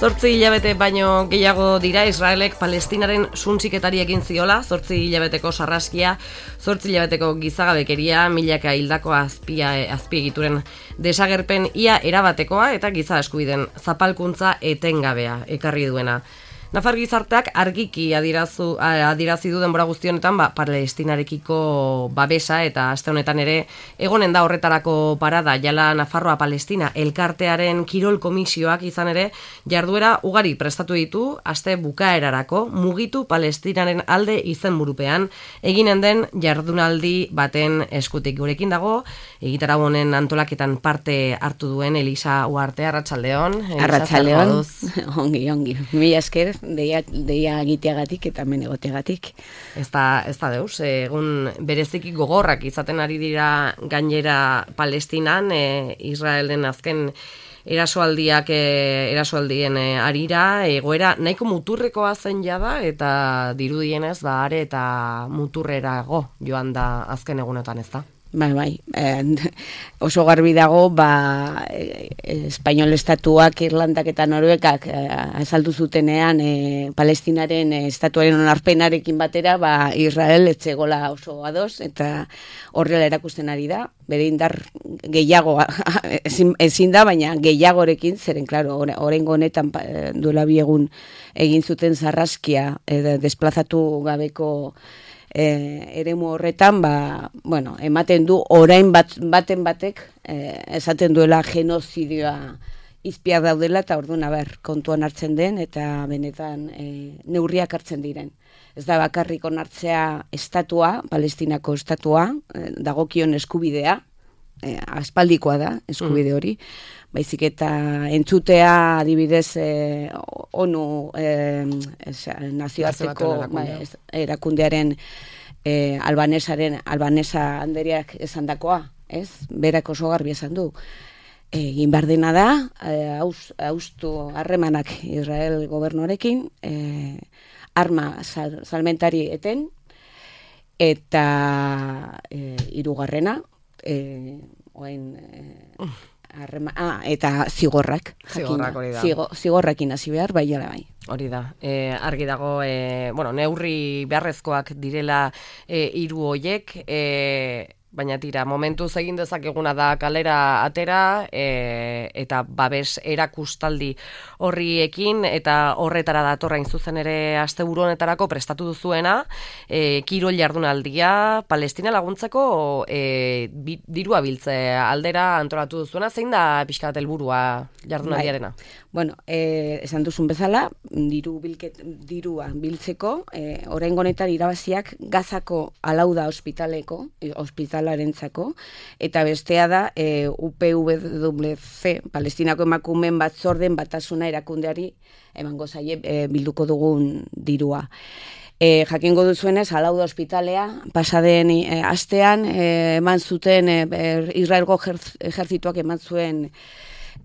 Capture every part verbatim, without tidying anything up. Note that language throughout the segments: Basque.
Zortzi hilabete baino gehiago dira Israelek Palestinaren suntsiketari egin ziola, zortzi hilabeteko sarraskia, zortzi hilabeteko gizagabekeria, milaka hildako azpia, azpiegituren desagerpen ia erabatekoa eta giza eskubideen zapalkuntza etengabea ekarri duena. Nafar gizarteak argiki adirazu, adirazi du denbora guzti honetan ba, Palestinarekiko babesa eta aste honetan ere egonen da horretarako parada jala Nafarroa Palestina elkartearen kirol komisioak izan ere jarduera ugari prestatu ditu aste bukaerarako mugitu Palestinaren alde izenburupean eginen den jardunaldi baten eskutik. Gurekin dago egitarau honen antolaketan parte hartu duen Elisa Uarte. Arratsaldeon. Arratsaldeon. Ongi, ongi. Mila esker. Deia, deia egiteagatik eta hemen egoteagatik. Ez da, ez da deus, egun bereziki gogorrak izaten ari dira gainera Palestinan, e, Israelen azken erasoaldiak, e, erasoaldien e, arira, egoera nahiko muturrekoa zen jada, eta dirudienez, ba, are eta muturrerago joan da azken egunetan, ez da? Bai, bai, eh, oso garbi dago, ba, eh, Espainol estatuak, Irlandak eta Noruegak eh, azaldu zutenean eh, Palestinaren eh, estatuaren onarpenarekin batera, ba, Israel etzegola oso ados, eta horrela erakusten ari da, bere indar gehiago, ezin, ezin da, baina gehiagorekin, zeren, klaro, oraingo honetan duela bi egun egin zuten sarraskia, eh, desplazatu gabeko E, eremu horretan, ba, bueno, ematen du orain bat, baten batek e, esaten duela genozidioa izpiak daudela eta orduan ber kontuan hartzen den eta benetan e, neurriak hartzen diren. Ez da bakarrik onartzea estatua, Palestinako estatua, e, dagokion eskubidea, e, aspaldikoa da eskubide hori, baizik eta entzutea adibidez eh, ONU eh, nazioarteko ba, erakundearen eh, albanesaren albanesa handeriak esandakoa, ez? Berak oso garbi esan du. Egin behar dena da, eh, haustu harremanak Israel gobernuarekin, eh, arma sal, salmentari eten, eta eh, hirugarrena, eh, oain... Eh, Arrema, ah, eta zigorrak. Zigorrak hori da. Zigo, zigorrakin hasi behar, bai ala bai. Hori da. E, argi dago, e, bueno, neurri beharrezkoak direla e, hiru hoiek, e, baina tira, momentuz egin dezakeguna da kalera atera e, eta babes erakustaldi horriekin eta horretara datorrain zuzen ere asteburu honetarako prestatu duzuena, e, kirol jardunaldia Palestina laguntzeko e, bi, dirua biltze aldera antolatu duzuena, zein da pixka bat helburua jardunaldiarena? Bai. Bueno, eh, esan duzun bezala, diru bilket, dirua biltzeko, eh, oraingo honetan irabaziak Gazako Alauda ospitaleko, ospitalarentzako, eta bestea da eh, U P W C, Palestinako emakumeen batzorden batasuna erakundeari emango zaie eh, bilduko dugun dirua. E, jakingo duzuenez, Alauda ospitalea, pasaden e, astean, e, eman zuten, e, Israelgo ejertzituak eman zuen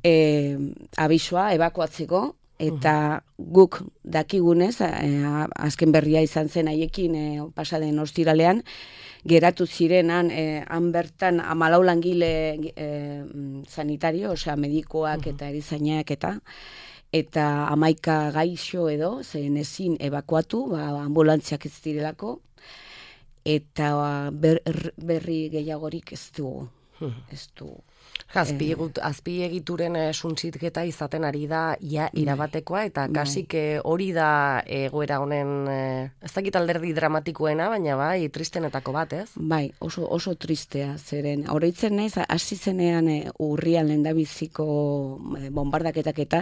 e, abisua, ebakuatzeko, eta guk dakigunez, e, azken berria izan zen haiekin e, pasaden ostiralean, geratu zirenan, e, han bertan hamalau langile e, sanitario, osea, medikoak uh-huh. eta erizainak eta, eta hamaika gaixo edo, zen ezin ebakuatu, ba, ambulantziak ez direlako, eta ber, berri gehiagorik ez du, ez du. Azpiegituren eh, suntzitketa izaten ari da ia irabatekoa, eta kasik eh, hori da egoera honen, eh, ez dakit alderdi dramatikoena, baina bai, tristenetako bat, ez? Bai, oso, oso tristea, zeren, horreitzen naiz, hasi zenean eh, urrian lehendabiziko eh, bombardaketak eta,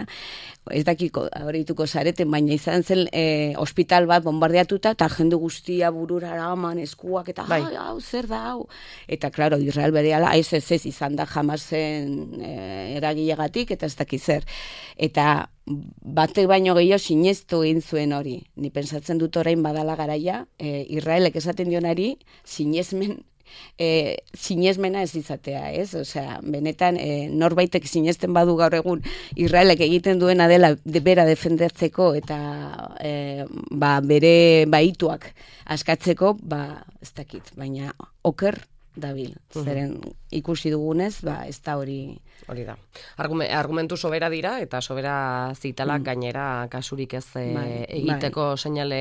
ez dakiko, horreituko zareten, baina izan zen eh, ospital bat bombardeatuta, eta jende guztia burura eraman, eskuak, eta bai. hau, zer da, hau? Eta, klaro, Israel berehala, ez ez ez izan da jamaz zen e, eragilegatik eta ez dakiz zer. Eta batek baino gehiago sinestu egin zuen hori. Ni pentsatzen dut orain badala garaia, e, Israelek esaten dionari sinesmen e, sinesmena ez izatea, ez? Osea, benetan e, norbaitek sinesten badu gaur egun Israelek egiten duena dela de bera defendatzeko eta e, ba, bere baituak askatzeko, ba ez dakit, baina oker dabil. Zeren ikusi dugunez, ba, ez da hori... Hori da. Argume, argumentu sobera dira, eta sobera zitalak mm. gainera kasurik ez e, bai, egiteko bai. Seinale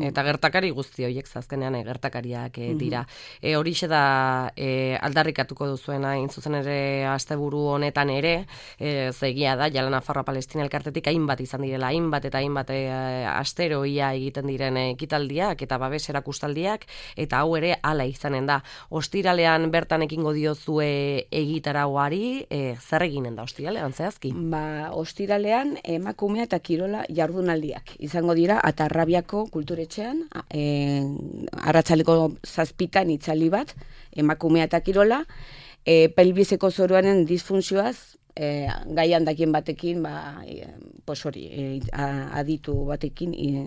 eta gertakari guzti horiek zazkenean e, gertakariak e, dira. Mm-hmm. E, horixe da e, aldarrikatuko duzuena, intzuzen ere asteburu honetan ere, e, zegia da, Jala Nafarroa Palestina elkartetik hainbat izan direla, hainbat eta hainbat e, astero ia egiten diren ekitaldiak eta babes erakustaldiak, eta hau ere hala izanen da. Ostiralean bertan ekingo diozue egitarauari, e, zer eginen da ostiralean zehazki? Ba, ostiralean emakumea eta kirola jardunaldiak izango dira Atarrabiako kulturetxean, e, arratsaleko zazpitan itzali bat, emakumea eta kirola, e, pelbizeko zoruaren disfuntzioaz, e, gaian dakien batekin, ba, e, pos hori, e, aditu batekin e,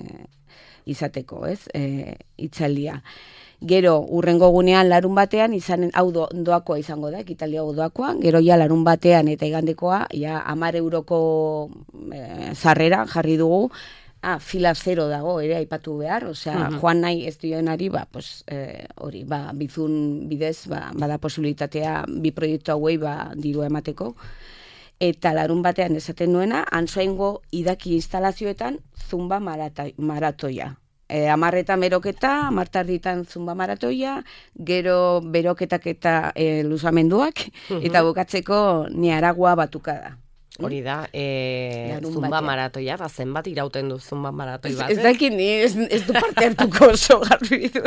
izateko, ez, e, itzaldia. Gero, urrengo gunean larun batean, izanen, hau do, doakoa izango da, ekitaldia hau doakoa, gero ja larun batean eta igandekoa, ja amar euroko e, zarrera jarri dugu, ah, fila zero dago, ere aipatu behar, osea, uh-huh. joan nahi ez duenari, ba, pues, e, hori, ba, bizun bidez, ba, bada posibilitatea bi proiektu hauei, ba, dirua emateko, eta larun batean esaten nuena, Antsoaingo idaki instalazioetan zumba marata, maratoia. E, amarretan beroketa, amartarditan zumba maratoia, gero beroketak eta e, luzamenduak, uh-huh. eta bukatzeko Niaragua batukada. Hori da, e, zumba batean. Maratoia, ba, zenbat irauten du zumba maratoi bat? Ez dakit ni, ez, ez du parte hartuko oso garbi du.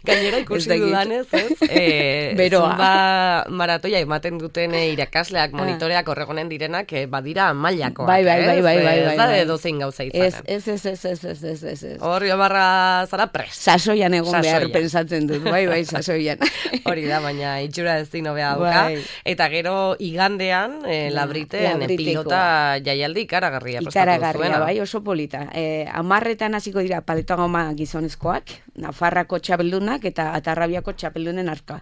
Gainera ikusi dudanez, ez? E, zumba maratoia ematen duten e, irakasleak, monitoreak horregonen direnak, e, badira mailakoak. Bai, bai, bai, bai, bai. Ez da edo zein gauza izanen. Ez, ez, ez, ez, ez, ez, ez, ez. Hori amarra zara prest. Sasoian egon behar pensatzen dut, bai, bai, sasoian. Hori da, baina itxura ez dino beha dauka. Bai. Eta gero igandean, e, labriten, pilota jaialdi ikaragarria prestatu zuena. Bai, oso polita. E, amarretan hasiko dira paleta goma gizonezkoak, Nafarrako txapeldunak eta Atarrabiako txapeldunen arka.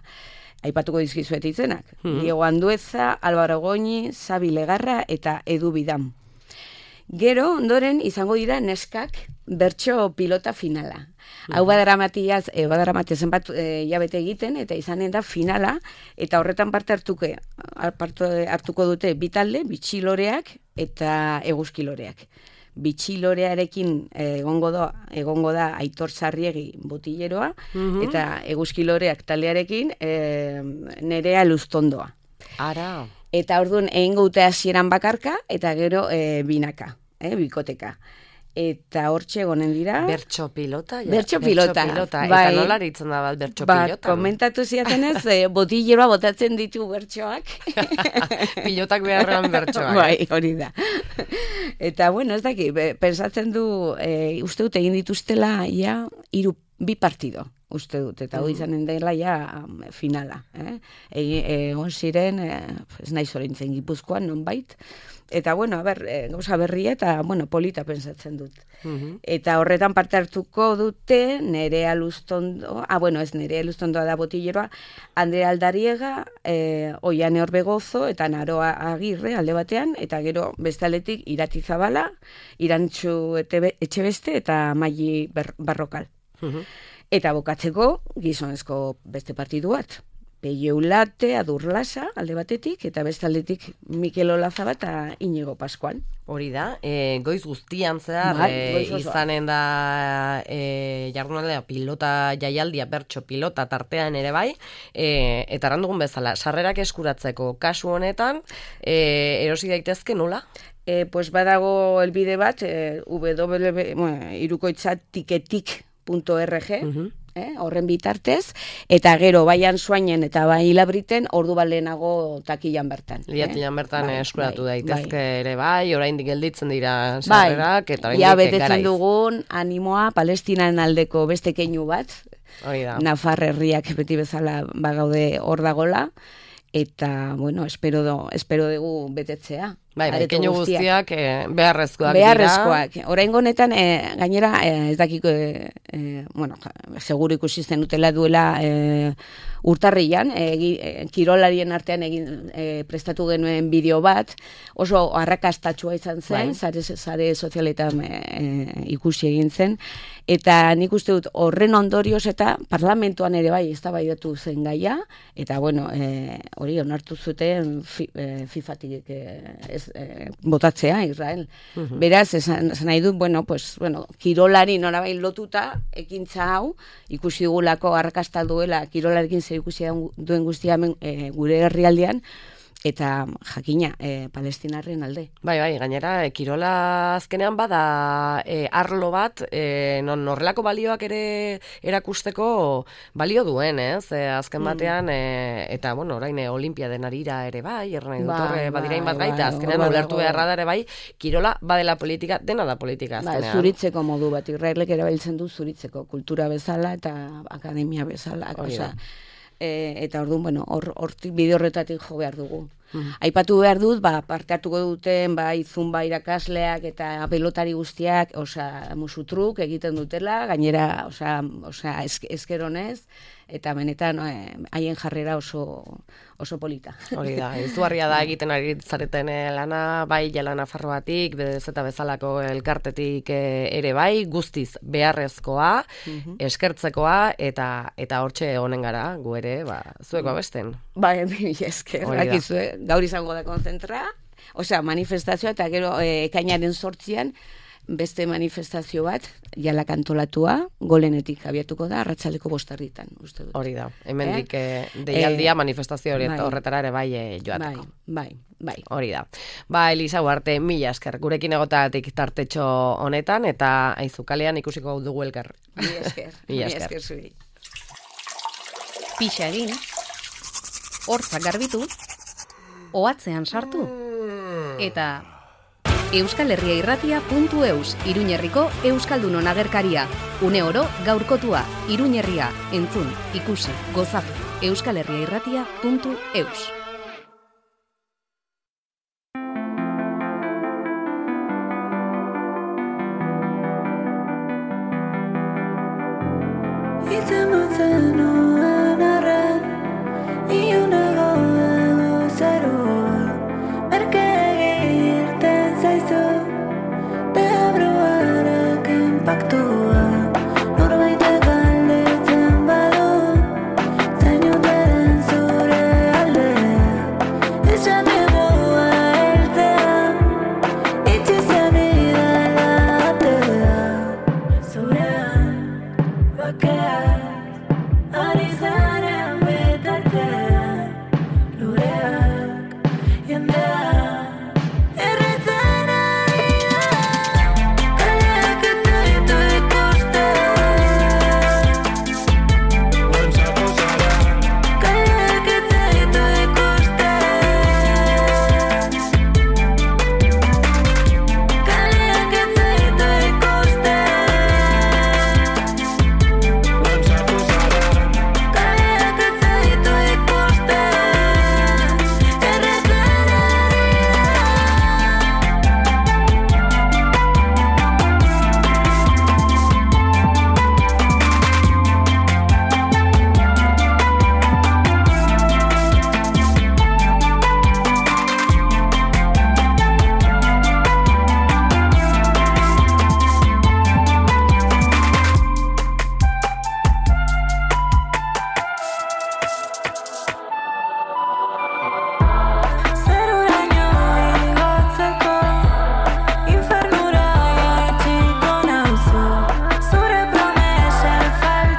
Aipatuko dizkizuet izenak. Hmm. Diego Andueza, Álvaro Goñi, Xabi Legarra eta Edu Bidam. Gero, ondoren, izango dira neskak bertso pilota finala. Mm-hmm. Hau badaramatia, e, badaramatia zenbat e, jabete egiten, eta izanen da finala, eta horretan parte hartuke, parte hartuko dute bitalde, bitxiloreak eta eguzkiloreak. Bitxilorearekin egongo da, egongo da Aitor Sarriegi botilleroa, mm-hmm. eta eguzkiloreak taldearekin e, Nerea Luztondoa. Ara... Eta orduan egingo dute hasieran bakarka, eta gero e, binaka, e, bikoteka. Eta hortxe egonen dira... Bertso pilota? Ja. Bertso pilota. pilota. Bai. Eta nola aritzen da bat bertso ba, pilota? Komentatu ziatenez, e, botilleroa botatzen ditu bertsoak. Pilotak beharrean bertsoak. Bai, hori da. Eta, bueno, ez daki, pensatzen du, e, uste dut egin dituztela, ja, iru, bi partido. Uste dut, eta hori izanen dela ja finala. Eh? Egon ziren, eh, ez nahi zorintzen Gipuzkoan, nonbait. Eta, bueno, a ber, e, gauza berria eta, bueno, polita pensatzen dut. Uh-huh. Eta horretan parte hartuko dute, Nerea Luztondo, ah, bueno, ez Nerea Luztondoa da botilleroa, Andrea Aldariega, e, Oiane Orbegozo, eta Naroa Agirre alde batean, eta gero bestaletik Irati Zabala, Irantxu Etxebeste, eta Maili Barrokal. Uh-huh. Eta bokatzeko, gizonezko beste partidu bat. Peio Ulate, Adur Lasa, alde batetik, eta bestaldetik Mikel Olazaba eta Inigo Pascual. Hori da, e, goiz guztian zehar, bai, e, izanen da e, jardunaldea pilota jaialdia, bertso pilota tartean ere bai, e, eta randugun bezala, sarrerak eskuratzeko kasu honetan, e, erosi daitezke nola? E, pues badago elbide bat, e, w, bueno, irukoitza tiketik punto org, uh-huh. eh, horren bitartez, eta gero baian Soainen eta bai Labriten ordu balenago takilan bertan. Liatilan eh? bertan bai, eskuratu bai, daitezke bai. Ere bai, oraindik gelditzen dira sarrerak, bai, eta oraindik ja betetzen dugun animoa Palestinaren aldeko beste keinu bat, Nafar herriak beti bezala bagaude hor dagola, eta, bueno, espero, do, espero dugu betetzea. Bai, bai, areto keinu guztiak eh, beharrezkoak dira. Beharrezkoak. Oraingo honetan, eh, gainera, eh, ez dakiko, eh, eh, bueno, seguru ikusi zenutela duela eh, urtarrian, eh, kirolarien artean egin eh, prestatu genuen bideo bat, oso arrakastatsua izan zen, sare, sare sozialetan eh, ikusi egin zen, eta nik uste dut horren ondorioz eta parlamentuan ere bai eztabaidatu zen gaia, eta bueno, eh, hori onartu zuten fi, eh, FIFAtik eh, ez, eh, botatzea Israel. Uh-huh. Beraz, esan, esan nahi dut, bueno, pues, bueno, kirolari norabain lotuta ekintza hau, ikusi dugulako arrakasta duela kirolarekin zer ikusi duen guztia hemen, eh, gure herrialdean, eta jakina, e, palestinarren alde. Bai, bai, gainera, e, kirola azkenean bada e, arlo bat, e, non horrelako balioak ere erakusteko balio duen, ez? E, azken batean, e, eta, bueno, orain e, olimpiaden arira ere bai, erran nahi dut horre, badirain bat gaita, azkenean ulertu beharra da ere bai, kirola badela politika, dena da politika azkenean. Ba, zuritzeko modu bat, Israelek erabiltzen du zuritzeko, kultura bezala eta akademia bezala, osea, e, eta orduan, bueno, hortik bide horretatik jo behar dugu. Mm. Aipatu behar dut, ba, parte hartuko duten, ba, izunba irakasleak eta pelotari guztiak, osea, musutruk egiten dutela, gainera, osea, osea eskeronez, eta benetan haien eh, jarrera oso, oso polita. Hori da, izugarria da egiten ari zareten lana, bai Jelana Farroatik, bedez eta bezalako elkartetik ere bai, guztiz beharrezkoa, mm-hmm. eskertzekoa, eta eta hortxe honen gara, gu ere, ba, zueko abesten. Bai, mi esker, dakizue, gaur izango da konzentra, osea, manifestazioa, eta gero eh, ekainaren sortzian, beste manifestazio bat, jala kantolatua, golenetik abiatuko da, arratsaldeko bostarritan, uste dut. Hori da, hemendik eh? deialdia eh, manifestazio hori, bai, horretara ere bai e, joateko. Bai, bai, bai. Hori da. Ba, Elisa Ugarte, mila esker, gurekin egotatik tartetxo honetan, eta aizukalean ikusiko dugu elkar. Mila esker, mila esker zuri. Pixa egin, hortzak garbitu, ohatzean sartu, eta euskal herria irratia puntu eus, Iruñerriko Euskaldunon agerkaria. Une oro gaurkotua, Iruñerria, entzun, ikusi, gozatu, euskal herria irratia puntu eus. It's a